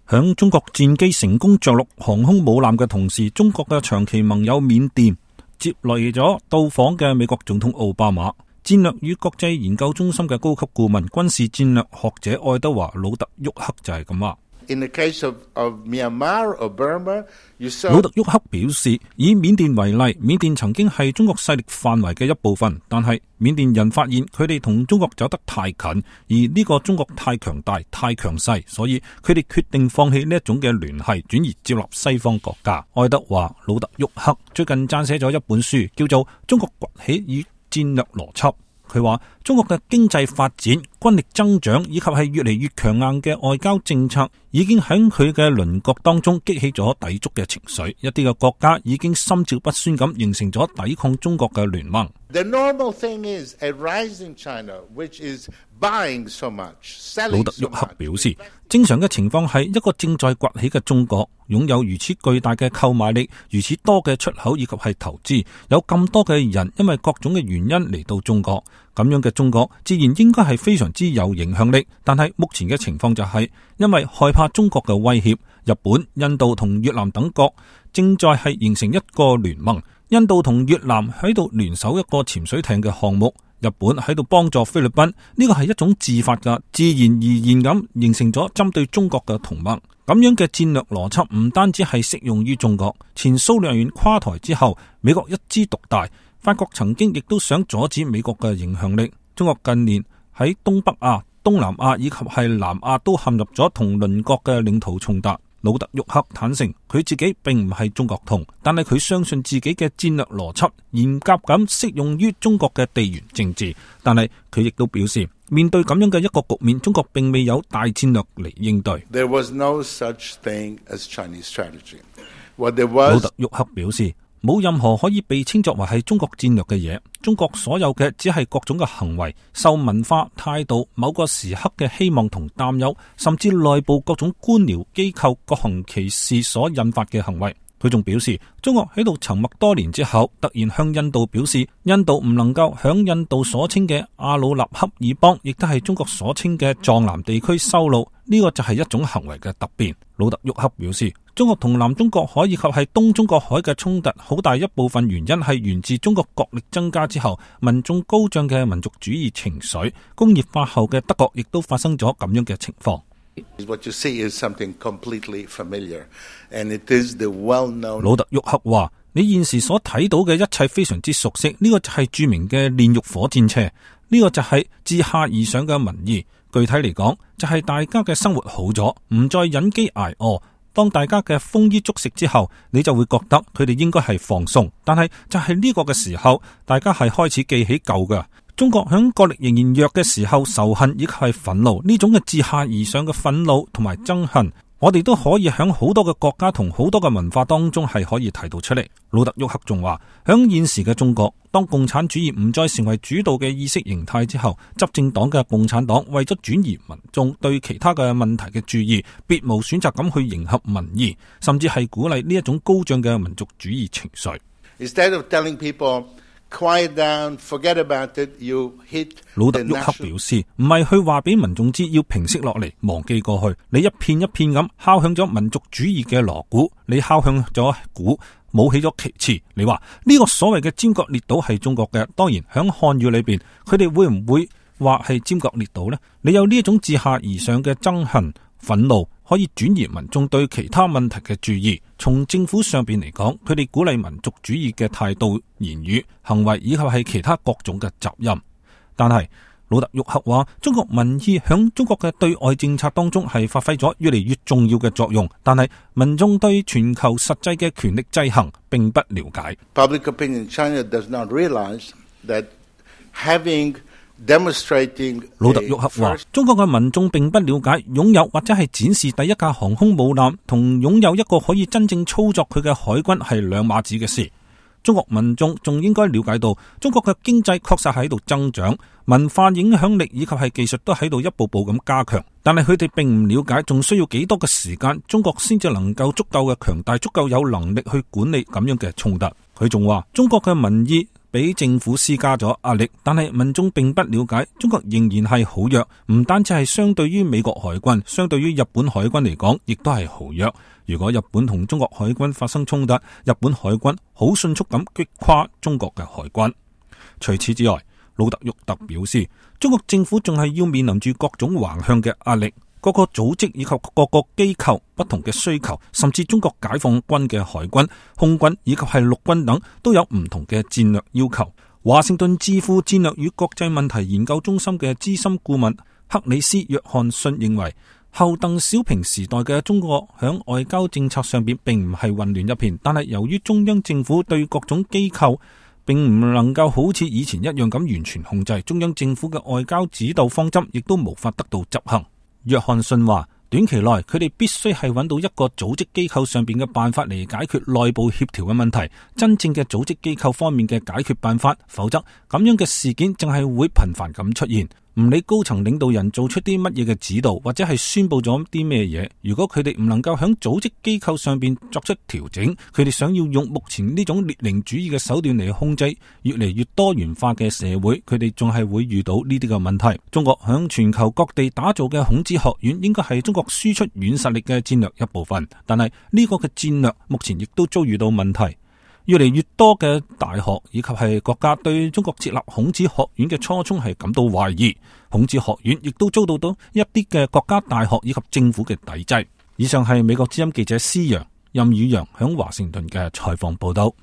響中國戰機成功着陸航空母艦嘅同時，中國嘅長期盟友緬甸接嚟咗到訪嘅美國總統奧巴馬。戰略與國際研究中心嘅高級顧問、軍事戰略學者愛德華·魯特沃克就係咁話。In the case of Myanmar or Burma, you saw... 魯特沃克表示，以緬甸為例，緬甸曾經係中國勢力範圍嘅一部分，但係緬甸人發現佢哋同中國走得太近，而呢個中國太強大、太強勢，所以佢哋決定放棄呢一種嘅聯繫，轉而接納西方國家。愛德華·魯特沃克最近撰寫咗一本書，叫做《中國崛起與戰略邏輯》。佢話中國嘅經濟發展、軍力增長以及係越嚟越強硬嘅外交政策，已經喺佢嘅鄰國當中激起咗抵觸嘅情緒。一啲嘅國家已經心照不宣咁形成咗抵抗中國嘅聯盟。The normal thing is a rising China, which is buying so much, selling so much. 魯特沃克表示，正常嘅情況係一個正在崛起嘅中國，擁有如此巨大嘅購買力、如此多嘅出口以及係投資，有咁多嘅人因為各種嘅原因嚟到中國，咁樣嘅中國自然應該係非常之有影響力。但係目前嘅情況就係，因為害怕中國嘅威脅，日本、印度同越南等國正在係形成一個聯盟。印度同越南喺度聯手一個潛水艇嘅項目，日本喺度幫助菲律賓，呢個係一種自發嘅、自然而然咁形成咗針對中國嘅同盟。咁樣嘅戰略邏輯唔單止係適用於中國。前蘇聯員垮台之後，美國一枝獨大，法國曾經亦都想阻止美國嘅影響力。中國近年喺東北亞、東南亞以及係南亞都陷入咗同鄰國嘅領土衝突。魯特沃克坦承佢自己並唔係中國通，但係佢相信自己嘅戰略邏輯嚴格咁適用於中國嘅地緣政治。但係佢亦都表示，面對咁樣嘅一個局面，中國並未有大戰略嚟應對。There was no such thing as Chinese strategy. What there was... 魯特沃克表示，冇任何可以被稱作為係中國戰略嘅嘢。中國所有嘅只係各種嘅行為，受文化、態度、某個時刻嘅希望同擔憂，甚至內部各種官僚機構各行其事所引發嘅行為。佢仲表示，中國喺度沉默多年之後，突然向印度表示，印度唔能夠響印度所稱嘅阿魯納恰爾邦，亦都係中國所稱嘅藏南地區修路，呢個就係一種行為嘅突變。魯特沃克表示，中國同南中國海以及係東中國海嘅衝突，好大一部分原因係源自中國國力增加之後，民眾高漲嘅民族主義情緒。工業化後嘅德國亦都發生咗咁樣嘅情況。What you see is something completely familiar, and it is the well-known... 魯特沃克話：你現時所睇到嘅一切非常之熟悉，呢個就係著名嘅煉獄火箭車，呢個就係自下而上嘅民意。具體嚟講，就係大家嘅生活好咗，唔再忍飢挨餓。當大家嘅豐衣足食之後，你就會覺得佢哋應該係放鬆。但係就係呢個嘅時候，大家係開始記起舊嘅。中國響國力仍然弱嘅時候，仇恨以及係憤怒，呢種嘅自下而上嘅憤怒同埋憎恨，我哋都可以響好多嘅國家同好多嘅文化當中係可以提到出嚟。魯特沃克仲話，響現時嘅中國，當共產主義唔再成為主導嘅意識形態之後，執政黨嘅共產黨為咗轉移民眾對其他嘅問題嘅注意，別無選擇咁去迎合民意，甚至係鼓勵呢一種高漲嘅民族主義情緒。Instead of telling people Quiet down, forget about it, you hit... 魯特沃克表示，唔係去話俾民眾知要平息落嚟，忘記過去。你一片一片咁敲響咗民族主義嘅鑼鼓，你敲響咗鼓，舞起咗旗幟。你話呢個所謂嘅尖閣列島係中國嘅，當然響漢語裏邊，佢哋會唔會話係尖閣列島呢？你有呢一種自下而上嘅憎恨、憤怒，可以轉移民眾對其他問題嘅注意。從政府上邊嚟講，佢哋鼓勵民族主義嘅態度、言語、行為以及係其他各種嘅責任。但係魯特沃克話，中國民意響中國嘅對外政策當中係發揮咗越嚟越重要嘅作用，但係民眾對全球實際嘅權力制衡並不了解。Public opinion in China does not realize that having魯特沃克話，中國嘅民眾並不了解擁有或者係展示第一架航空母艦同擁有一個可以真正操作佢嘅海軍係兩碼子嘅事。中國民眾仲應該了解到，中國嘅經濟確實喺度增長，文化影響力以及係技術都喺度一步步咁加強，但係佢哋並唔了解仲需要幾多嘅時間，中國先至能夠足夠嘅強大，足夠有能力去管理咁樣嘅衝突。佢仲話，中國嘅民意俾政府施加咗壓力，但係民眾並不了解中國仍然係好弱，唔單止係相對於美國海軍，相對於日本海軍嚟講，亦都係好弱。如果日本同中國海軍發生衝突，日本海軍好迅速咁擊垮中國嘅海軍。除此之外，魯特沃特表示，中國政府仲係要面臨住各種橫向嘅壓力，各個組織以及各個機構不同嘅需求，甚至中國解放軍嘅海軍、空軍以及係陸軍等都有唔同嘅戰略要求。華盛頓智庫戰略與國際問題研究中心嘅資深顧問克里斯約翰遜認為，後鄧小平時代嘅中國響外交政策上邊並唔係混亂一片，但係由於中央政府對各種機構並唔能夠好似以前一樣咁完全控制，中央政府嘅外交指導方針亦都無法得到執行。約翰遜話，短期內佢哋必須係揾到一個組織機構上邊嘅辦法嚟解決內部協調嘅問題，真正嘅組織機構方面嘅解決辦法，否則咁樣嘅事件淨係會頻繁咁出現。唔理高層領導人做出啲乜嘢嘅指導，或者係宣布咗啲咩嘢，如果佢哋唔能夠響組織機構上邊作出調整，佢哋想要用目前呢種列寧主義嘅手段嚟控制越嚟越多元化嘅社會，佢哋仲係會遇到呢啲嘅問題。中國響全球各地打造嘅孔子學院應該係中國輸出軟實力嘅戰略一部分，但係呢個嘅戰略目前亦都遭遇到問題。越嚟越多嘅大學以及係國家對中國設立孔子學院嘅初衷係感到懷疑，孔子學院亦都遭到一啲嘅國家大學以及政府嘅抵制。以上係美國之音記者施陽、任宇陽響華盛頓嘅採訪報道。